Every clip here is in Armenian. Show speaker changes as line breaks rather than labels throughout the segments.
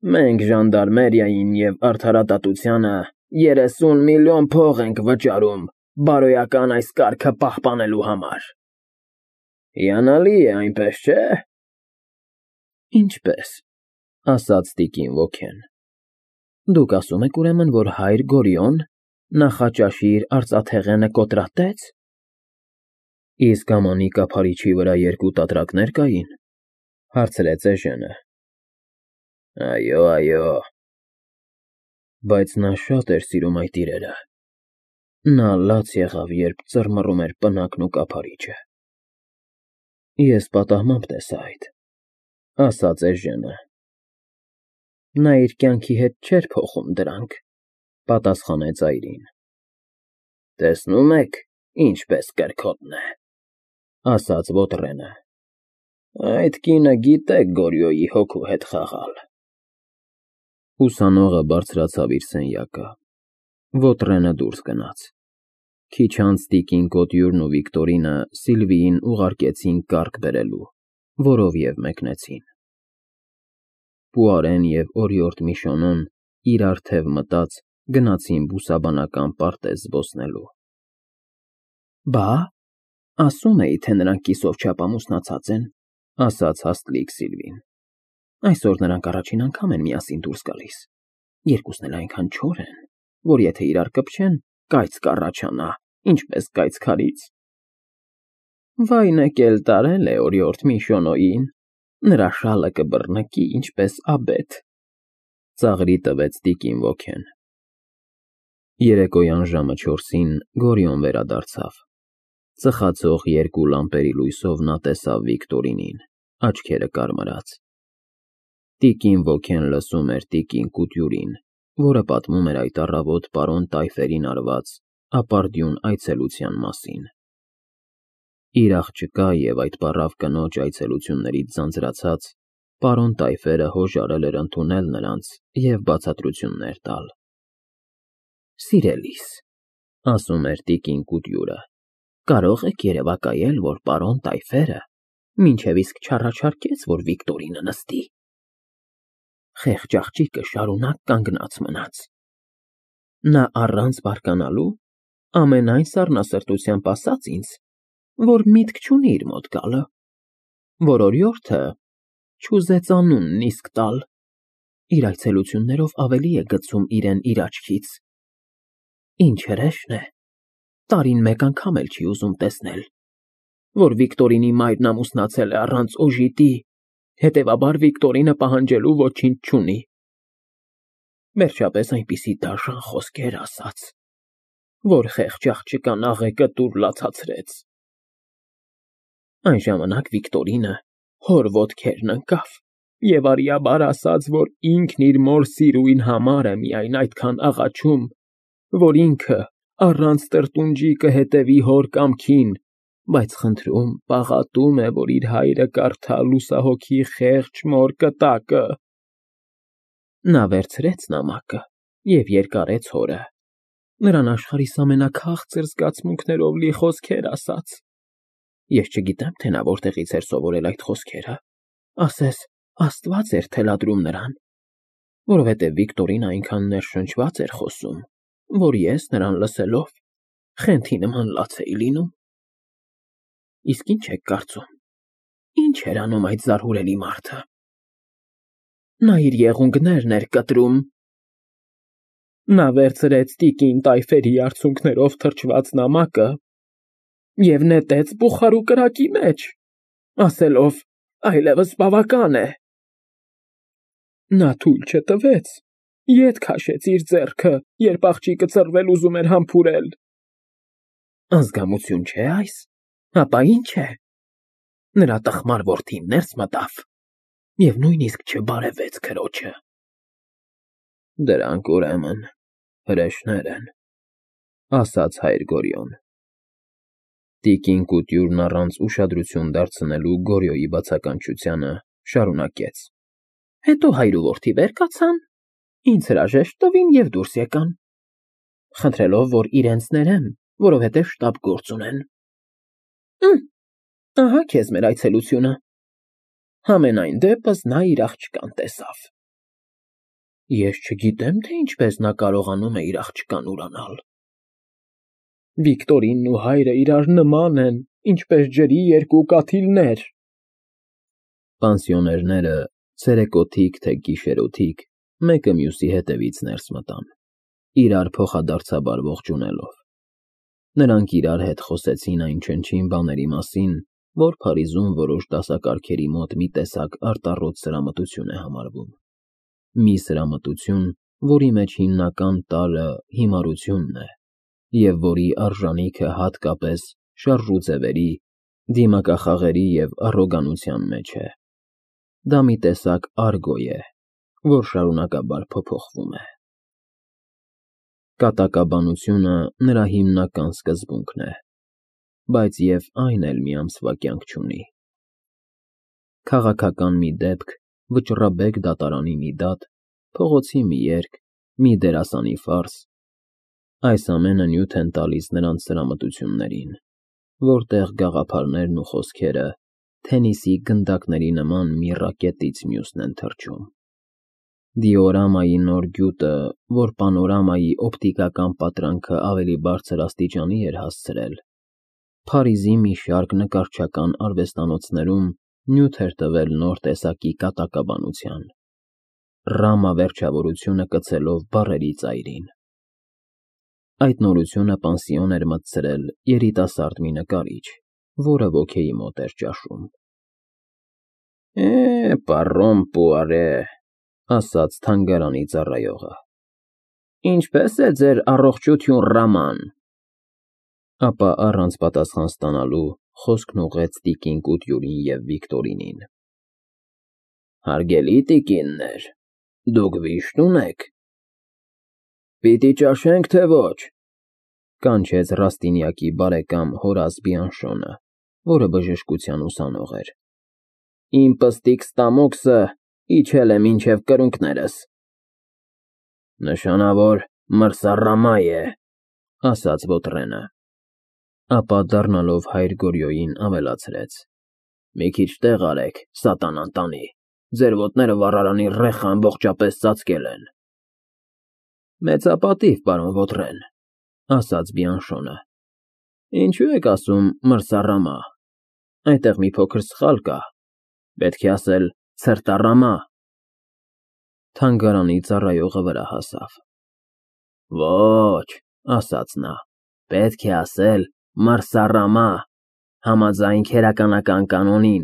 Մենք ժանդարմերիային և արդարադատությանը 30 միլիոն փող ենք վճարում բարոյական այս կարգը պահպանելու համար։ Հիանալի է, այնպես չէ՞։ Ինչպես, ասաց տիկին Ոքեն։ Դուք ասում եք ուրեմն, որ հայր Գորիոն նախաճաշի իր արծաթեղենը կոտրատեց։ Իսկ Համանի կափարիչի վրա 2 տատրակներ կային, հարցրեց Էժենը։ Այո։ Բայց նա շատ էր սիրում այդ իրերը։ Նա լաց եղավ, երբ ծռմռում էր պնակն ու կափարիչը։ Ես պատահմամբ տեսա այդ, ասաց Էժենը։ Նա իր կյանքի հետ չէր փոխում դրանք, պատասխանեց այրին։ Տեսնում եք, ինչպես կրքոտն է, ասաց Ոտրենը։ Այդ կինը գիտե Գորիոյի հոգու հետ խաղալ։ Ուսանողը բարձրացավ իր սենյակը։ Ոտրենը դուրս գնաց։ Քիչ անց տիկին Կոտյուրն ու Վիկտորինը Սիլվիին ուղարկեցին կառք բերելու, որով և մեկնեցին։ Պուարեն և օրիորդ Միշոնոն, իրար թև մտած, գնացին բուսաբանական պարտեզ զբոսնելու։ Բա, ասում էի, թե նրանք կիսով չափ ամուսնացած են, ասաց հաստլիկ Սիլվին։ Այսօր նրանք առաջին անգամ են միասին դուրս գալիս։ Երկուսն էլ այնքան չոր են, որ եթե իրար կպչեն, կայծ կառաջանա, ինչպես կայծ քարից։ Վայնը կել տարել է օրիորդ Միշոնոյին, նրա շալը կբռնկի, ինչպես աբեթ, ծաղրի տվեց տիկին Ոքեն։ Երեկոյան ժամը 4-ին Գորիոն վերադարձավ։ Ծխացող 2 լամպերի լույսով նա տեսավ Վիկտորինին, աչքերը կարմրած։ Տիկին Ոքեն լսում էր տիկին Կուտյուրին, որը պատմում էր այդ առավոտ պարոն Տայֆերին արված ապարդյուն այցելության մասին։ Իր աղջկա և այդ պառավ կնոջ այցելություններից ձանձրացած, պարոն Տայֆերը հոժարել էր ընդունել նրանց և բացատրություններ տալ։ Սիրելիս, ասում էր տիկին Կուտյուրը, կարող եք երևակայել, որ պարոն Տայֆերը մինչև իսկ չառաջարկեց, որ Վիկտորինը նստի։ Խեղճ աղջիկը շարունակ կանգնած մնաց։ Նա առանց բարկանալու ամենայն սառնասրտությամբ ասաց ինձ, որ միտք չունի իր մոտ գալը, որ օրիորդը չուզեց անունն իսկ տալ, իր այցելություններով ավելի է գցում իրեն իր աչքից։ Ինչ հրեշն է, տարին մեկ անգամ էլ չի ուզում տեսնել, որ Վիկտորինի մայրն ամուսնացել է առանց օժիտի, հետևաբար Վիկտորինը պահանջելու ոչինչ չունի։ Վերջապես այնպիսի դաժան խոսքեր ասաց, որ խեղճ աղջկան աղեկը տուր լացացրեց։ Այն ժամանակ Վիկտորինը հոր ոտքերն ընկավ և արիաբար ասաց, որ ինքն իր մոր սիրուին համար է միայն այդքան աղաչում, որ ինքը առանց տրտունջի կհետևի հոր կամքին, բայց խնդրում, պաղատում է, որ իր հայրը կարդա լուսահոգի խեղճ մոր կտակը։ Նա վերցրեց նամակը և երկարեց հորը, նրան աշխարհիս ամենաքաղցր զգացմունքներով լի խոսքեր ասաց։ Ես չգիտեմ, թե նա որտեղից էր սովորել այդ խոսքերը, ասես Աստված էր թելադրում նրան, որովհետև Վիկտորին այնքան ներշնչված էր խոսում, որ ես նրան լսելով խենթի նման լաց էի լինում։ Իսկ ինչ եք կարծում, ինչ էր անում այդ զարհուրելի մարդը։ Նա իր եղունգներն էր կտրում։ Նա վերցրեց տիկին Տայֆերի արցունքներով թրջված նամակը և նետեց բուխարու կրակի մեջ, ասելով. այլևս բավական է։ Նա թույլ չտվեց, ետ քաշեց իր ձեռքը, երբ աղջիկը ծռվել ուզում էր համբուրել։ Ազգամություն չէ՞ այս, ապա ի՞նչ է։ Նրա տխմար որդին ներս մտավ և նույնիսկ չբարևեց քրոջը։ Դրանք ուրեմն հրեշներ են, ասաց հայր Գորիոն։ Տիկին Կուտյուրն առանց ուշադրություն դարձնելու Գորիոյի բացականչությանը շարունակեց. Հետո հայր ու որդի վեր կացան, ինձ հրաժեշտ տվին և դուրս եկան, խնդրելով, որ իրենց ներեմ, որովհետև շտապ գործ ունեն։ Ահա քեզ մեր այցելությունը։ Համենայն դեպս նա իր աղջկան տեսավ։ Ես չգիտեմ, թե ինչպես նա կարողանում է իր աղջկան ուրանալ։ Վիկտորինն ու հայրը իրար նման են, ինչպես ջրի երկու կաթիլներ։ Պանսիոներները, ցերեկոթիկ թե գիշերօթիկ, մեկը մյուսի հետևից ներս մտան, իրար փոխադարձաբար ողջունելով։ Նրանք իրար հետ խոսեցին այն չնչին բաների մասին, որ Փարիզում որոշ դասակարգերի մոտ մի տեսակ արտառոց սրամտություն է համարվում։ Մի սրամտություն, որի մեջ հիմնական տարրը հիմարությունն է, և որի արժանիքը հատկապես շարժուձևերի, դիմակախաղերի և առոգանության մեջ է։ Դա մի տեսակ արգո է, որ շարունակաբար փոփոխվում է։ Կատակաբանությունը նրա հիմնական սկզբունքն է, բայց և այն էլ մի ամսվա կյանք չունի։ Քաղաքական մի դեպք, վճռաբեկ դատարանի մի դատ, փողոցի մի երգ, մի դերասանի ֆարս, այս ամենը նյութ են տալիս նրանց սրամտություններին, որտեղ գաղափարներն ու խոսքերը թենիսի գնդակների նման մի ռակետից մյուսն են թռչում։ Դիորամայի նոր գյուտը, որ պանորամայի օպտիկական պատրանքը ավելի բարձր աստիճանի էր հասցրել, Փարիզի մի շարք նկարչական արվեստանոցներում նյութ էր տվել նոր տեսակի կատակաբանության, Ռամա վերջավորությունը կցելով բառերի ծայրին։ Այդ նորությունը պանսիոն էր մտցրել երիտասարդ մի նկարիչ, որը ոգեի մոտ էր ճաշում։ Պարոն Պուարե, ասաց թանգարանի ծառայողը, ինչպե՞ս է ձեր առողջություն Ռաման։ Ապա առանց պատասխան ստանալու խոսքն ուղղեց տիկին Կուտյուրին և Վիկտորինին։ Հարգելի տիկիններ, դուք վիշտ ունե՞ք։ Պիտի ճաշենք, թե ոչ, կանչեց Ռաստինյակի բարեկամ Հորաս Բիանշոնը, որը բժշկության ուսանող էր։ Իմ պստիկ ստամոքսը իջել է մինչև կրունկներս։ Նշանավոր մրսառամա է, ասաց Վոտրենը, ապա դառնալով հայր Գորյոյին ավելացրեց. Մի քիչ տեղ արեք, սատանան տանի, ձեր ոտները վառարանի ռեխը ամբողջապես ծածկել են։ Մեծապատիվ, պարոն Վոտրեն, ասաց Բիանշոնը։ Ինչու եք ասում մրսառամա, այնտեղ մի փոքր սխալ կա, պետք է ասել ցրտառամա։ Թանգարանի ծառայողը վրա հասավ։ Ոչ, ասաց նա, պետք է ասել մրսառամա, համաձայն քերականական կանոնին,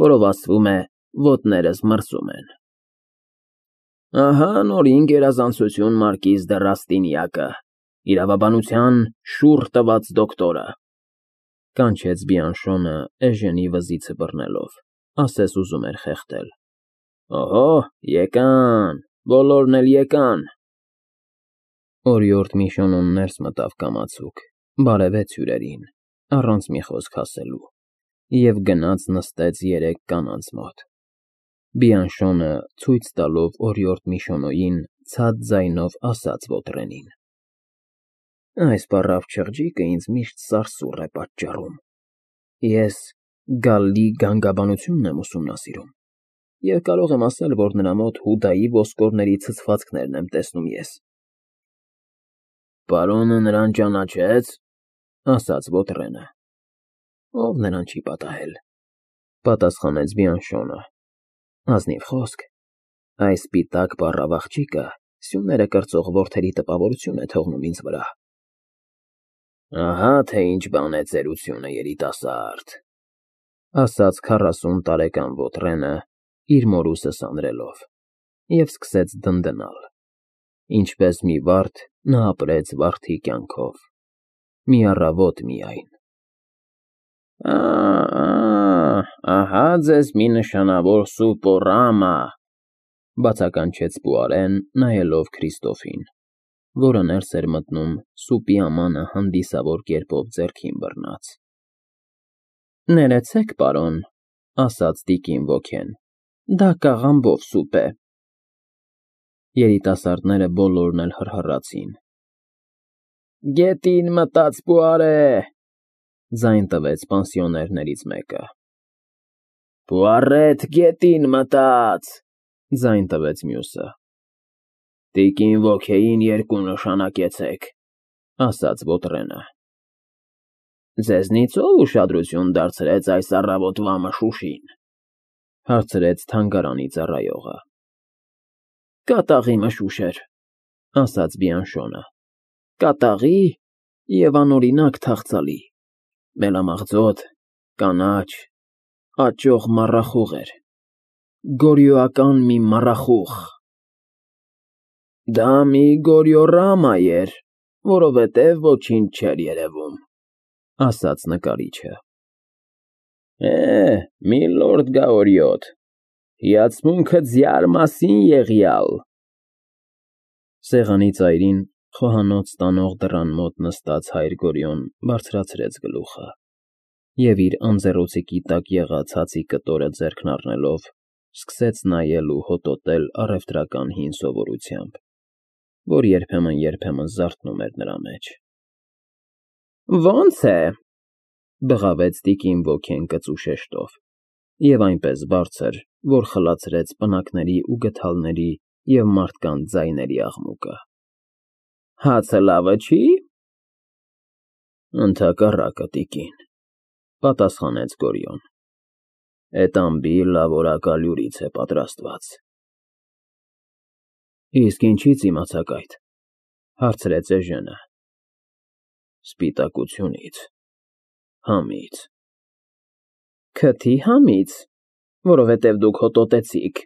որով ասվում է ոտներս մրսում են։ Ահա նորին գերազանցություն մարկիզ դը Ռաստինյակը, իրավաբանության շուռ տված դոկտորը, կանչեց Բիանշոնը Էժենի վզիցը բռնելով, ասես ուզում էր խեղդել։ Օհո, եկան, բոլորն էլ եկան։ Օրիորդ Միշոնոն ներս մտավ կամացուկ, բարևեց հյուրերին, առանց մի խոսք ասելու, և գնաց նստեց երեք կանանց մոտ։ Բիանշոնը, ցույց տալով օրիորդ Միշոնոյին, ցած ձայնով ասաց Վոտրենին. Այս պառավ չղջիկը ինձ միշտ սարսուռ է պատճառում։ Ես Գալլի գանգաբանությունն եմ ուսումնասիրում, և կարող եմ ասել, որ նրա մոտ Հուդայի ոսկորների ցցվածքներն եմ տեսնում ես։ Պարոնը նրան ճանաչեց, ասաց Վոտրենը։ Ով նրան չի պատահել, պատասխանեց Բիանշոնը։ Ազնիվ խոսք, այս սպիտակ պառավ աղջիկը սյուները կրծող որդերի տպավորություն է թողնում ինձ վրա։ Ահա թե ինչ բան է ծերությունը, երիտասարդ, ասաց 40 տարեկան Վոտրենը, իր մորուսը սանրելով, և սկսեց դնդնալ։ Ինչպես մի վարդ նա ապրեց վարդի կյանքով, մի առավոտ միայն։ Ահա ձեզ մի նշանավոր սուպորամա, բացականչեց Պուարեն, նայելով Քրիստոֆին, որը ներս էր մտնում սուպի ամանը հանդիսավոր կերպով ձեռքին բռնած։ Ներեցեք, պարոն, ասաց տիկին ոգեն, դա կաղամբով սուպ է։ Երիտասարդները բոլորն էլ հռհռացին։ Գետին մտած Պուարե, ձայն տվեց պանսիոներներից մեկը։ Պուարետ գետին մտած, ձայն տվեց մյուսը։ Տիկին ոգեին երկու նշանակեցեք, ասաց Բոտրենը։ Ձեզնից ով ուշադրություն դարձրեց այս առավոտվա մշուշին, հարցրեց թանգարանի ծառայողը։ Կատաղի մշուշ էր, ասաց Բիանշոնը։ Կատաղի և անօրինակ թախծալի, մելամաղձոտ, կանաչ, աճող մառախուղ էր, գորիոական մի մառախուղ։ Դա մի գորիոռամա էր, որովհետև ոչինչ չէր երևում, ասաց նկարիչը։ Միլորդ Գաորիոտ, հիացմունքը ձյար մասին եղյալ։ Սեղանի ծայրին խոհանոց տանող դռան մոտ նստած հայր Գորիոն բարձրացրեց գլուխը և իր անձեռոցիկի տակ եղած հացի կտորը ձեռքն առնելով սկսեց նայել ու հոտոտել առևտրական հին սովորությամբ, որ երբեմն զարթնում էր նրա մեջ։ Ո՞նց է, բղավեց տիկին ոգեն կծու շեշտով և այնպես բարձր, որ խլացրեց պնակների ու գդալների և մարդկանց ձայների աղմուկը։ Հացը լավը չի՞։ Ընդհակառակը, տիկին, պատասխանեց Գորիոն։ Էդ ամբի լավորակալյուրից է պատրաստված։ Իսկ ինչի՞ց իմացաք այդ, հարցրեց Էժենը։ Սպիտակությունից, համից։ Քթի համից, որովհետև դուք հոտոտեցիք,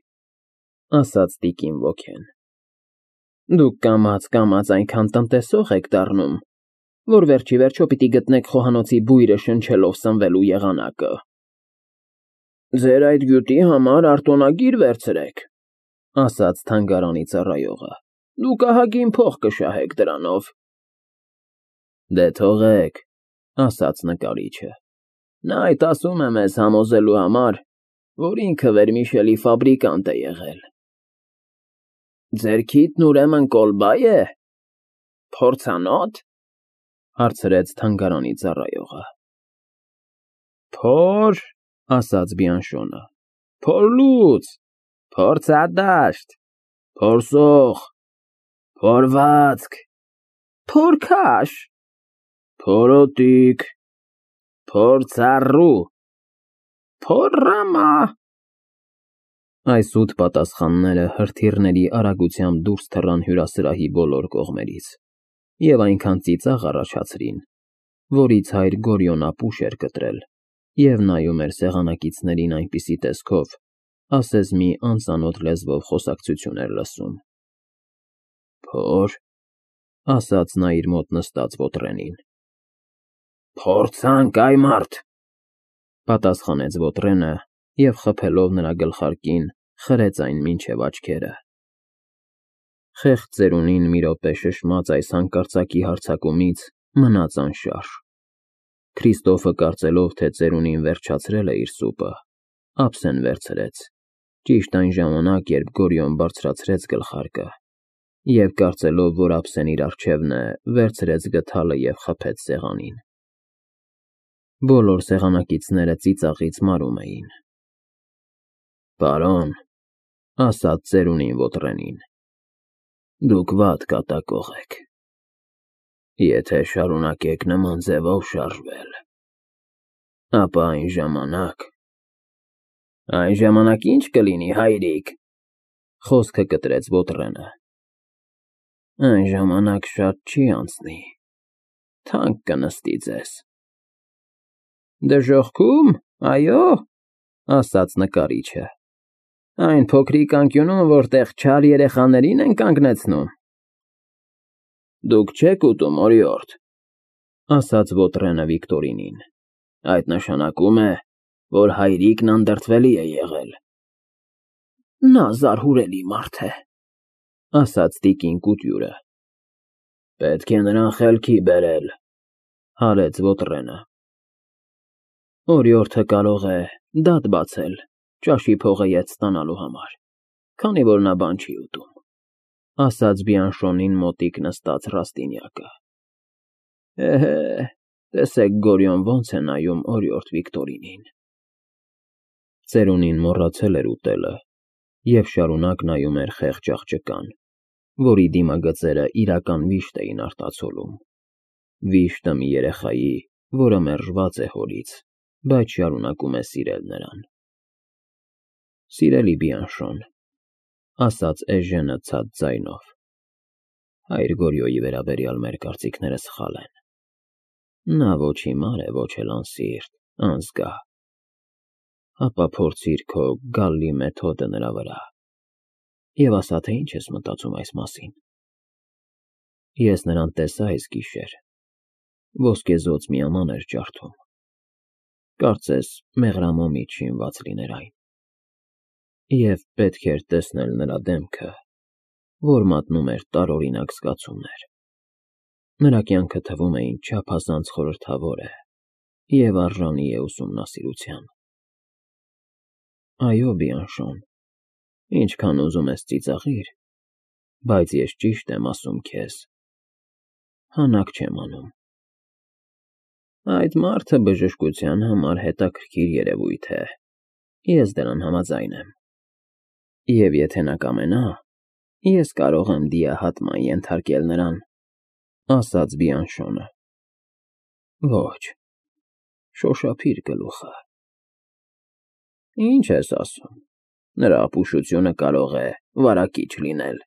ասաց տիկին ոգեն։ Դուք կամաց այնքան տնտեսող եք դառնում, որ վերջիվերջո պիտի գտնեք խոհանոցի բույրը շնչելով սնվելու եղանակը։ Ձեր այդ գյուտի համար արտոնագիր վերցրեք, ասաց թանգարանի ծառայողը։ Դուք ահագին փող կշահեք դրանով։ Դե թողեք, ասաց նկարիչը։ Նա այդ ասում է մեզ համոզելու համար, որ ինքը վերմիշելի ֆաբրիկանտ է եղել։ Ձեր քիթն ուրեմն կոլբա է։ Փորձանո՞տ, հարցրեց թանգարանի ծառայողը։ Փոր, ասաց Բիանշոնը, փորլուծ, փորձադաշտ, փորսող, փորվածք, փորքաշ, փորոտիք, փորձառու, փորռամա։ Այս ութ պատասխանները հրթիռների արագությամբ դուրս թռան հյուրասրահի բոլոր կողմերից և այնքան ծիծաղ առաջացրին, որից հայր Գորիոն ապուշ էր կտրել և նայում էր սեղանակիցներին այնպիսի տեսքով, ասես մի անծանոթ լեզվով խոսակցություն էր լսում։ Փոր, ասաց նա իր մոտ նստած Բոտրենին։ Փորձանք, այ մարդ, պատասխանեց Բոտրենը և խփելով նրա գլխարկին խրեց այն մինչև աչքերը։ Խեղճ ծերունին մի րոպե շշմած այս հանկարծակի հարձակումից մնաց անշարժ։ Քրիստոֆը կարծելով, թե ծերունին վերջացրել է իր սուպը, ափսեն վերցրեց, ճիշտ այն ժամանակ, երբ Գորիոն բարձրացրեց գլխարկը, և կարծելով, որ ափսեն իր առջևն է, վերցրեց գդալը և խփեց սեղանին։ Բոլոր սեղանակիցները ծիծաղից մարում էին։ Պարոն, ասաց ծերունին Բոտրենին, դուք վատ կատակող եք։ Եթե շարունակեք նման ձևով շարժվել, ապա այն ժամանակ ինչ կլինի, հայրիկ, խոսքը կտրեց Բոտրենը։ Այն ժամանակ շատ չի անցնի, թանկ կնստի ձեզ։ Դժոխքում, այո, ասաց նկարիչը։ Այն փոքրիկ անկյունում, որտեղ չար երեխաներին են կանգնեցնում։ Դուք չեք ուտում, օրիորդ, ասաց Բոտրենը Վիկտորինին։ Այդ նշանակում է, որ հայրիկն անդրդվելի է եղել։ Նա զարհուրելի մարդ է, ասաց տիկին Կուտյուրը։ Պետք է նրան խելքի բերել, հարեց Բոտրենը։ Օրիորդը կարող է դատ բացել ճաշի փողը ետ ստանալու համար, քանի որ նա բան չի ուտում, ասաց Բիանշոնին մոտիկ նստած Ռաստինյակը։ Էհե, տեսեք Գորիոն ոնց է նայում օրիորդ Վիկտորինին։ Ծերունին մոռացել էր ուտելը և շարունակ նայում էր խեղճ աղջկան, որի դիմագծերը իրական վիշտ էին արտացոլում։ Վիշտը մի երեխայի, որը մերժված է հորից, բայց շարունակում է սիրել նրան։ Սիրելի Բիանշոն, ասաց Էժենը ցած ձայնով, հայր Գորյոյի վերաբերյալ մեր կարծիքները սխալ են։ Նա ոչ հիմար է, ոչ էլ անսիրտ, անզգա։ Ապա փորձիր քո Գալլի մեթոդը նրա վրա և ասա, թե ինչ ես մտածում այս մասին։ Ես նրան տեսա այս գիշեր, ոսկեզօծ մի աման էր ջարդում, կարծես մեղրամոմից շինված լիներ այն, և պետք էր տեսնել նրա դեմքը, որ մատնում էր տարօրինակ զգացումներ։ Նրա կյանքը թվում է ինձ չափազանց խորհրդավոր է և արժանի է ուսումնասիրության։ Այո, Բիանշոն, ինչքան ուզում ես ծիծաղիր, բայց ես ճիշտ եմ ասում քեզ, հանակ չեմ անում։ Այդ մարդը բժշկության համար հետաքրքիր երևույթ է, ես դրան համաձայն եմ։ Եվ եթե նա կամենա, ես կարող եմ դիահատման ենթարկել նրան, ասաց Բիանշոնը։ Ոչ, շոշափիր գլուխը։ Ինչ ես ասում, նրա ապուշությունը կարող է վարակիչ լինել։